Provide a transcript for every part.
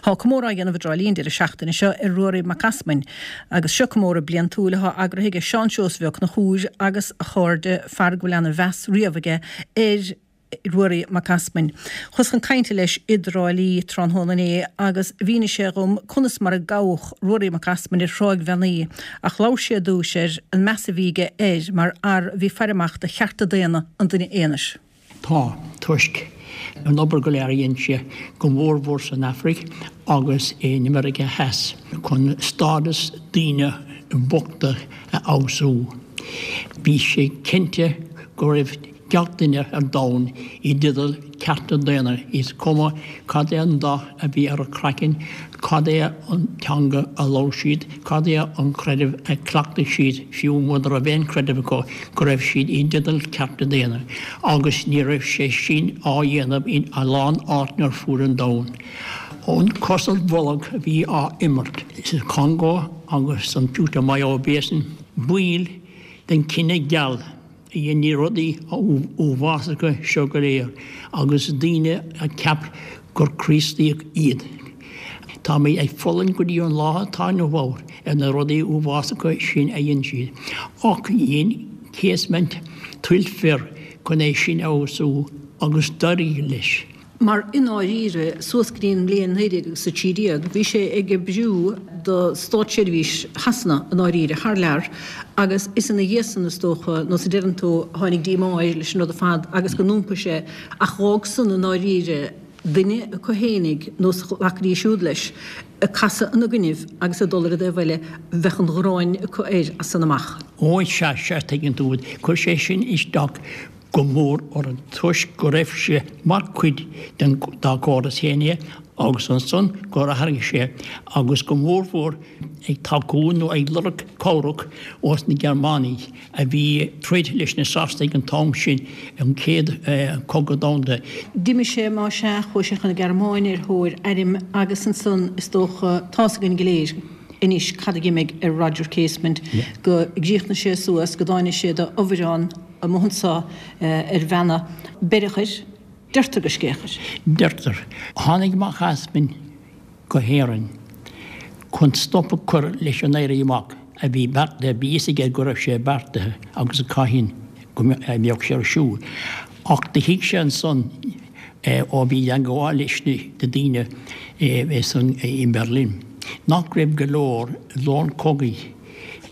Tá comóradh á dhéanamh i dTrá Lí an deireadh seachtaine seo ar Ruairí Mac Easmainn agus seo comóradh bliantúil atá eagraithe aige Seán Seosamh Ó Conchúir agus a chairde, fear go bhfuil ana mheas riamh aige ar Ruairí Mac Easmainn. Chuas chun cainte leis i dTrá Lí tráthnóna inné agus mhínigh sé dhom conas mar a gabhadh Ruairí Mac Easmainn ar Thráigh Bheannaí ach labhair sé ar dtúis ar an meas a bhí aige air mar fhear a bhí ag faire amach do chearta daonna an duine aonair. Tá, toisc an obair go léir a dhein sé, go mórmhór san Afraic agus in Meiriceá Theas, chun stádas daoine bochta a fheabhsú. Bhí sé cinnte go raibh gach duine ar domhan i dteideal cearta daonna, is cuma cad é an dath a bhí ar a craiceann, cad é an teanga a labhair siad, cad é an creideamh a chleachtaigh siad, fiú muna raibh aon chreideamh acu, go raibh siad i dteideal cearta daonna. Agus ní raibh sé sin á dhéanamh in a lán áiteanna ar fuaid an domhain. An cos ar bholg a bhí á imirt sa Chongó agus san Putumayo Basin, baill den chine geal, a dhein na rudaí uafásacha seo go léir agus daoine a cheap gur Críostaíoch iad. Táimid ag fulaingt go dtí an lá atá inniu ann ar na rudaí uafásacha sin a dhein siad. Ach dhein Casement tuilleadh fir chun é sin a fheabhsú agus d'éirigh leis. Mar i ndáiríre, suas go dtí an mbliain 1913, bhí sé ag oibriú do státseirbhís Shasana i ndáiríre, thar lear, agus is ina dhiaidh san, is dócha, nó sa deireann tú, a tháinig díomá air leis an rud ar fad agus go n-iompaigh sé, ach dh'fhág san i ndáiríre duine acu fhéinig, nó is ghlacfaidís siúd leis, ag casadh ina gcoinnibh agus ag dul ar an dtaobh eile, bheadh an ghráin acu air as san amach. Ó, sea, sea, tuigeann tú, chuir sé sin isteach go mór orthu toisc go raibh sé mar chuid den dá chóras féin é agus ansan gur athraigh sé agus go mórmhór ag tacú nó ag lorg cabhrach ós na Gearmánaigh a bhí ag troid leis na Sasanaigh an t-am sin an Chéad Chogadh Domhanda. D'imigh sé más ea, chuaigh sé chun na Gearmáine ar thóir airm agus ansan is dócha, tá's againn go léir anois cad a dh'imigh ar Roger Casement, go gcríochnaigh sé suas, go dtáinig sé d'fhomhuireán, amuigh anso ar Bheanna. Beireadh air, deirtear gur scréach air. Deirtear. Tháinig Mac Easmainn go hÉirinn chun stop a chur leis an Éirí Amach a bhí beartaithe, bhí fhios aige go raibh sé beartaithe agus cathain go mbeadh sé ar siúl. Ach do thuig sé ansan ó bhí i dteangmháil leis na daoine i mBerlin nach raibh go leor long cogaidh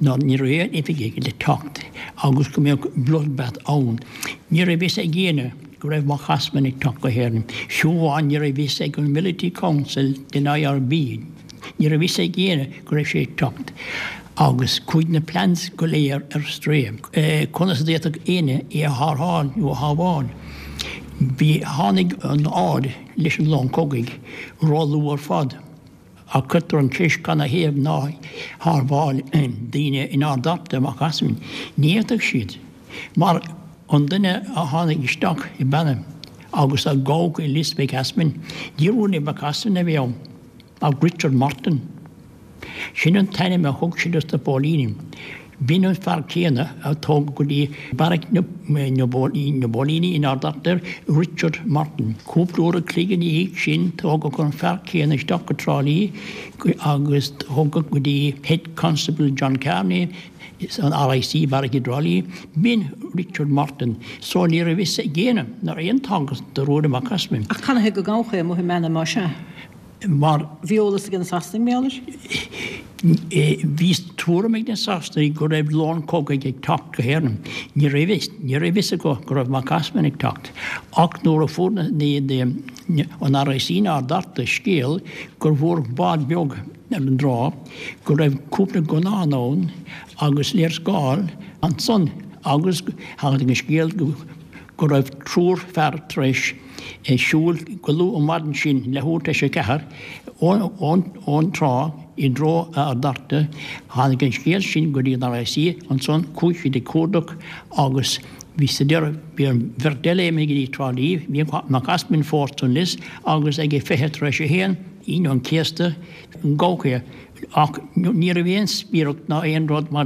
ná ní raibh aon oifigigh le teacht agus go mbeadh bloodbath ann. Ní raibh fhios ag éinne go raibh Mac Easmainn ag teacht go hÉirinn. Fiú amháin ní raibh fhios ag an Military Council den IRB, ní raibh fhios ag éinne go raibh sé ag teacht agus chuaigh na plans go léir ar strae. Conas a d'fhéadfadh éinne é a tharrtháil nó a shábháil? Bhí, tháinig an aird leis an long cogaidh róluath ar fad. Ach cuirtear an cheist canathaobh nár shábháil daoine in Ard Fhearta Mac Easmainn? Ní fhéadfadh siad, mar an duine a tháinig isteach i Beanna agus a gabhadh i Lios Mhic Easmainn, ní Ruairí Mac Easmainn a bhí ann, ach Richard Martin. Sin an t-ainm a thug sé dos na póilíní. B'in an fear céanna a tógadh go dtí beairic na bpóilíní in Ard Fhearta, Richard Martin. Cúpla uair a chloig ina dhiaidh sin tógadh an fear céanna isteach go Trá Lí agus tógadh go dtí Head Constable John Kearney san RIC beairic i dTrá Lí. B'in Richard Martin. So ní raibh fhios ag éinne ná raibh aon tagairt do Ruairí Mac Easmainn. Ach canathaobh go gabhadh é amuigh i mBeanna más ea? Mar. Bhí eolas ag na Sasanaigh, mar gheall air. Bhí tuairim ag na Sasanaigh go raibh long cogaidh ag teacht go hÉirinn. Ní raibh fhios, ní raibh fhios acu go raibh Mac Easmainn ag teacht. Ach nuair a fuair na, na, an RIC in Ard Fhearta scéal gur bhfuair bád beag ar an dtrá, go raibh cúpla gunnán ann agus léarscáil ansan agus tháinig an scéal go, go raibh triúr fear tar éis siúl go luath an mhaidin sin, leathuair tar éis a ceathair, ón trá i dtreo Ard Fhearta. Tháinig an scéal sin go dtí an RIC ansan, chuaigh siad ag cuardach agus bhí sa deireadh, bhí an bheirt eile imithe go dtí Trá Lí, bhí Mac Easmainn fós san lios agus ag a 1:40, Aoine an Chéasta, gabhadh é ach ní raibh aon spiaireacht ná aon rud mar.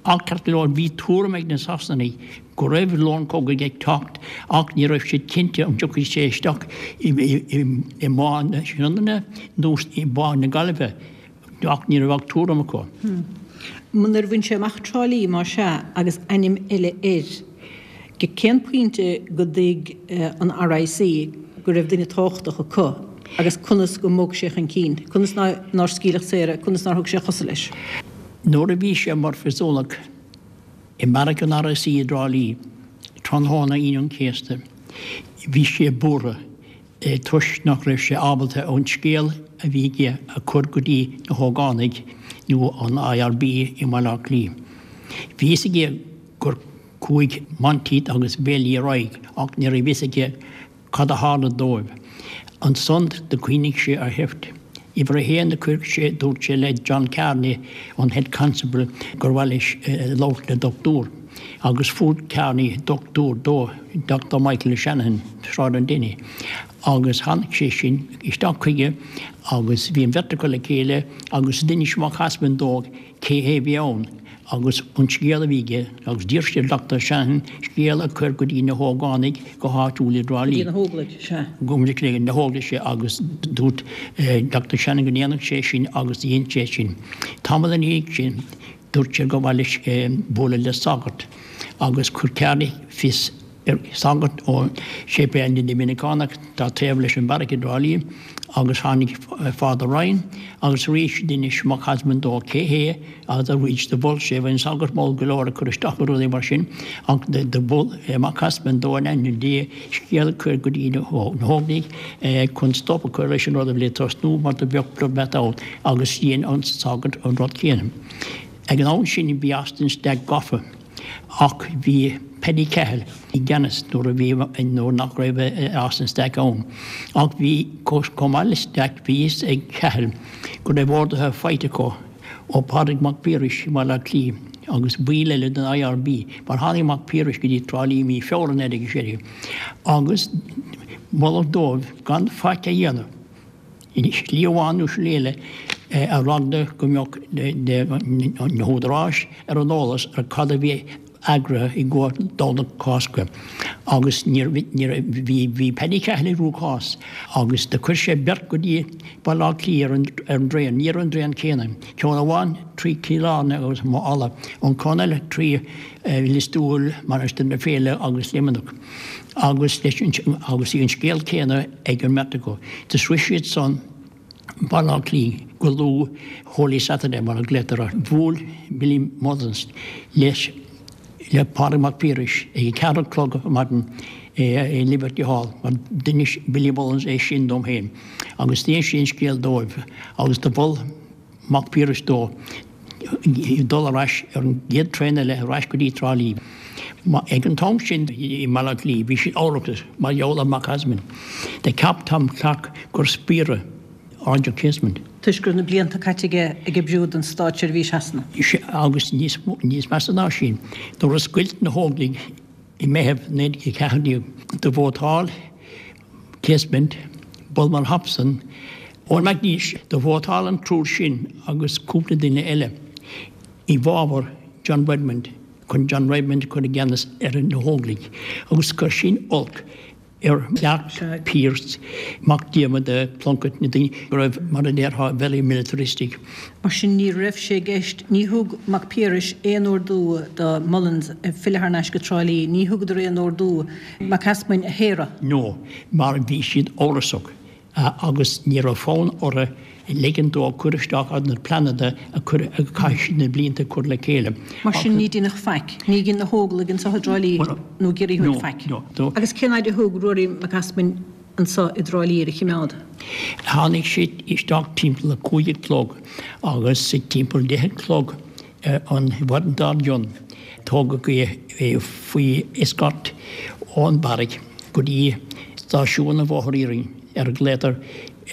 Ach ceart go leor, bhí tuairim ag na Sasanaigh go raibh long cogaidh ag teacht ach ní raibh siad cinnte an dtiocfaidh sé isteach i mBá na Sionainne nó i mBá na Gaillimhe ach ní raibh ach tuairim acu. Nuair a bhain sé amach Trá Lí, más ea, agus ainm eile air, go cén pointe go dtuig an RIC go raibh duine tábhachtach acu agus conas go mbog sé chun cinn? Conas nár scaoileadh saor é? Conas nár thug sé a chosa leis? Nuair a bhí sé mar phriosúnach i mbeairic an RIC i dTrá Lí tráthnóna Aoine an Chéasta, bhí sé buartha toisc nach raibh sé ábalta an scéal a bhí aige a chur go dtí na hógánaigh nó an IRB i mBaile Átha Cliath. Bhí fhios aige gur chuaigh Monteith agus Bailey ar aghaidh ach ní raibh fhios aige Cad a tharla dóibh? Ansan do chuimhnigh sé ar sheift. Uimhir a haon do chuir sé, dúirt sé le John Kearney, an Head Constable, gur mhaith leis labhairt le dochtúir. Agus fuair Kearney dochtúir dó, Doctor Michael O'Shanahan, Sráid an Dainigh. Agus tháinig sé sin isteach chuige agus bhí an bheirt acu le chéile agus d'inis Mac Easmainn dó cé hé a bhí ann agus an scéal a bhí aige agus d'iarr sé ar Doctor Shanahan scéal a chur go dtí na hógánaigh go háitiúil i dTrá Lí. Go dtí na hÓglaigh, sea. Go dtí na hÓglaigh, sea, agus dúirt Doctor Shanahan go ndéanfadh sé sin agus dhein sé sin. Tamall ina dhiaidh sin dúirt sé gur mhaith leis bualadh le sagart agus chuir Kearney fios ar shagart ó Séipéal na nDoiminiceánach atá taobh leis an bheairic i dTrá Lí agus tháinig Father Ryan agus arís d'inis Mac Easmainn dó cé hé agus arís do mhol sé, bhí an sagart mall go leor ag cur isteach ar rudaí mar sin ach do mhol Mac Easmainn dó in ainm Dé scéal a chur go dtí na hÓglaigh chun stop a chur leis an rud a bhí le tosnú mar do bheadh bloodbath ann agus dhein an sagart an rud céanna. Ag an am sin bhí Austin Stack gafa. Ach bhí Paddy Cahill i gceannas nuair a bhí, nuair nach raibh Austin Stack ann. Ach bhí, chomh maith le Stack, bhí fhios ag Cahill go raibh orduithe faighte acu ó Phádraig Mac Piarais i mBaile Átha Cliath agus baill eile den IRB, mar tháinig Mac Piarais go dtí Trá Lí i mí Feabhra 1916 agus moladh dóibh gan faic a dhéanamh. I slí amháin nó slí eile ar eagla go mbeadh na húdaráis ar an eolas ar cad a bhí eagraithe i gcomhair Domhnach Cásca agus ní bhí bhí Paddy Cahill i gcruachás agus do chuir sé beirt go dtí Baile Átha Cliath ar an ar an dtraein, ní ar an dtraein céanna, ceann amháin trí Chill Airne agus Maigh Fhala, an ceann eile trí Lios Tuathail, Mainistir na Féile agus Luimneach. Agus leis an agus bhí an scéal céanna ag an mbeirt acu. Do shroich siad san Baile Átha Cliath go luath Holy Saturday mar a ghlaotar air. Bhuail Billy Mullins leis le Pádraig Mac Piarais ag a ceathair a chlog ar maidin i Liberty Hall mar d'inis Billy Mullins é sin dom féin agus d'inis sé an scéal dóibh agus do mhol Mac Piarais dó dul ar ais ar an gcéad traein eile ar ais go dtí Trá Lí. Ag an t-am sin i mBaile Átha Cliath bhí siad amhrasach mar gheall ar Mac Easmainn. Do cheap Tom Clarke gur spiaire Roger Casement. Toisc go raibh na blianta caite aige ag oibriú don státseirbhís Shasana. Sea, agus níos measa ná sin, nuair a scoilt na hÓglaigh i Meitheamh 1914, do vótáil Casement, Bulmer Hobson, Eoin MacNeish, do vótáil an triúr sin agus cúpla duine eile i bhfabhar John Redmond chun John Redmond a chur i gceannas ar na hÓglaigh agus chuir sin olc ar Clarke, Pearse, Mac Diarmada, Plunkett, na daoine go raibh, mar a déarfá, very militaristic. Mar sin ní raibh sé i gceist, ní thug Mac Piarais aon ordú do Mullins filleadh thar n-ais go Trá Lí, ní thugadar aon ordú Mac Easmainn a shaoradh. No, mar bhí siad amhrasach agus ní raibh fonn orthu ligean dó cur isteach ar na pleananna a chuir, a chaith siad na blianta ag cur le chéile. Mar sin ní deineadh faic. Ní dhein na hÓglaigh anseo i dTrá Lí nó i gCiarraí Thuaidh faic. No, no. Agus cén fhaid a thug Ruairí Mac Easmainn anseo i dTrá Lí ar a chimeád? Tháinig sé isteach timpeall a cúig a chlog agus timpeall deich a chlog an mhaidin dár gcionn tógadh é faoi escort ón bheairic go dtí stáisiún an Bhóthair Iarainn, ar a nglaotar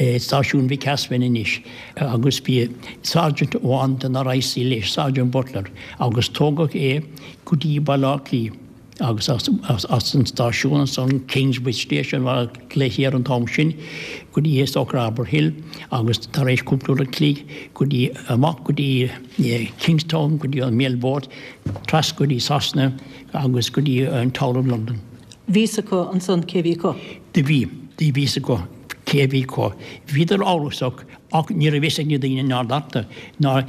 Stáisiún Mhic Easmainn anois, agus bhí Sergeant amháin den RIC leis, Sergeant Butler, agus tógadh é go dtí Baile Átha Cliath. Agus as an stáisiún ansan, Kingsbridge Station mar a glaoití air an t-am sin, go dtí is dócha Arbour Hill agus tar éis cúpla uair an chloig go dtí, amach go dtí Kingstown, go dtí an mail boat, trasna go dtí Sasana agus go dtí an Tower of London. Bhí fhios acu ansan cé bhí acu? Do bhí. Do bhí fhios acu cé bhí acu. Bhíodar amhrasach ach ní raibh fhios ag na daoine in Ard Fhearta, ná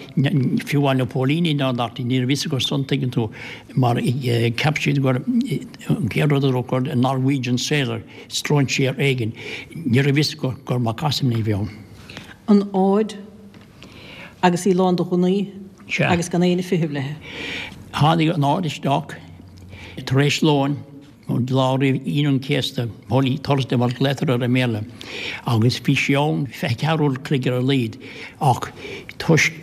fiú amháin na póilíní in Ard Fhearta, ní raibh fhios acu san, tuigeann tú, mar cheap siad gur, an chéad rud a dúradh gur Norwegian sailor, stróinséir éigin. Ní raibh fhios acu gur Mac Easmainn a bhí ann. An Aird agus í lán de ghunnaí agus gan éinne ag feitheamh léi. Tháinig an Aird isteach tar éis lóin an lá roimh Aoine an Chéasta, Holy Thursday mar a ghlaotar air i mBéarla, agus bhí sí ann 24 uair an chloig ar a laghad ach toisc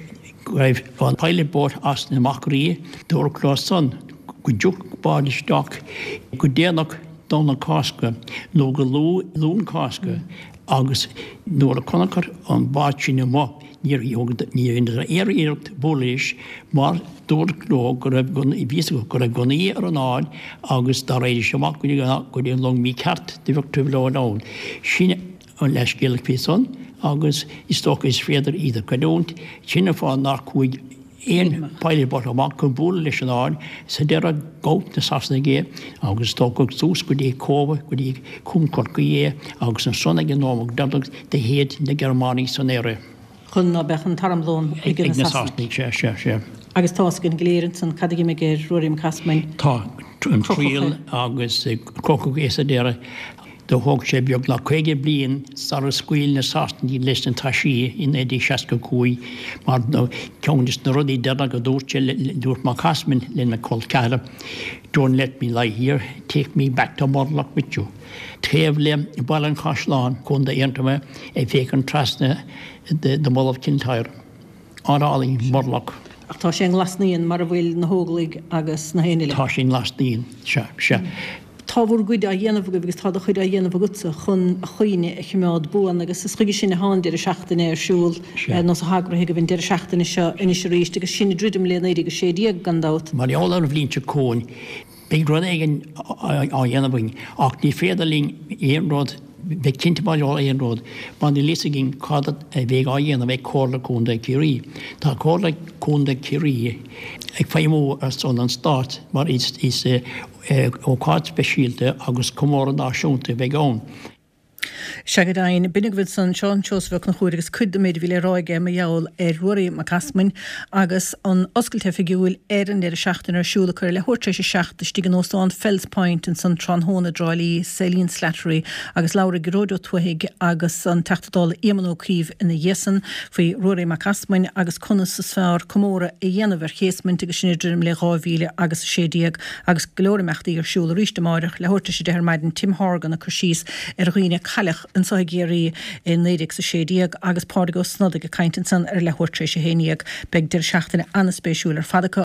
go raibh an pilot boat as na Machairí, dúradh leo san go dtiocfadh bád isteach go déanach Domhnach Cásca nó go luath Luan Cásca agus nuair a chonacthar an bád sin amuigh níor dheineadar aon iarracht bualadh leis mar dúradh leo go raibh gunnaí, bhí fhios acu go raibh gunnaí ar an Aird agus dá raghaidís amach go dtí an long mícheart do bheadh trioblóid ann. Sin an leathscéal faoi san agus is dócha is féidir iad a chreidiúint. Sin an fáth nár chuaigh aon pilot boat amach chun bualadh leis an Aird. Sa deireadh ghabh na Sasanaigh é agus tógadh suas go dtí Cóbh, go dtí Cuan Chorcaí é agus ansan ag an nóiméad deireanach do shéid na Gearmánaigh san aer é. Chun ná beadh an t-armlón ag na Sasanaigh. Sea, sea, sea. Agus tá fhios againn go léir ansan cad a dh'imigh ar Ruairí Mac Easmainn. Tá an triail agus crochadh é sa deireadh. Do thóg sé beagnach 50 bliain sara scaoil na Sasanaigh leis na taisí i 1965 mar ceann des na rudaí deireanach a dúirt sé, dúirt Mac Easmainn lena chol ceathracha, Don't let me lie here, take me back to Murlough with you. Taobh le Baile an Chaisleáin, Contae Aontroma, ag féachaint trasna do Mull of Kintyre. Áit álainn, Murlough. Ach tá sé i nGlas Naíon mar a bhfuil na hÓglaigh agus na héinne eile. Tá sé i nGlas Naíon, sea, sea. Tá bhur gcuid á dhéanamh agaibh agus tá do chuid á dhéanamh agatsa chun a chuimhne a chimeád buan agus is chuige sin atá an deireadh seachtaine ar siúl, nó atá eagraithe agaibh an deireadh seachtaine seo anois arís agus sinn ag druidim le 1916 gan dabht. Mar gheall ar an bhliain seo chugainn, Beidh rud éigin á dhéanamh againn ach ní féidir linn aon rud, bheith cinnte mar gheall ar aon rud mar níl fhios againn cad a bheidh á dhéanamh ag Comhairle Contae Chiarraí. Tá Comhairle Contae Chiarraí ag feidhmiú ar son an Stáit mar is ócáid speisialta agus comóradh náisiúnta a bheidh ann. Sea go deimhin, b'in agaibh ansan Seán Seosamh Ó Conchúir agus cuid den méid a bhí le rá aige mar gheall ar Ruairí Mac Easmainn agus an oscailt oifigiúil ar an deireadh seachtaine ar siúl acu ar leathuair tar éis a 7 istigh in Óstán Fells Point ansan tráthnóna i dTrá Lí, Céline Slattery agus labharfaidh Gearóid Ó Tuathaigh agus an Teachta Dála Éamon Ó Cuív ina dhiaidh san faoi Ruairí Mac Easmainn agus conas is fearr comóradh a dhéanamh ar Chasement agus sinn ag druidim le 2000 agus 16 Agus go leor imeachtaí ar siúl arís amáireach, leathuair tar éis a 10 ar maidin, Tim Horgan ag cur síos ar dhaoine a cailleadh anso i gCiarraí i 1916 agus Pádraig Ó Snodaigh ag caint ansan ar leathuair tar éis a 11. Beidh deireadh seachtaine an-spéisiúil ar fad acu.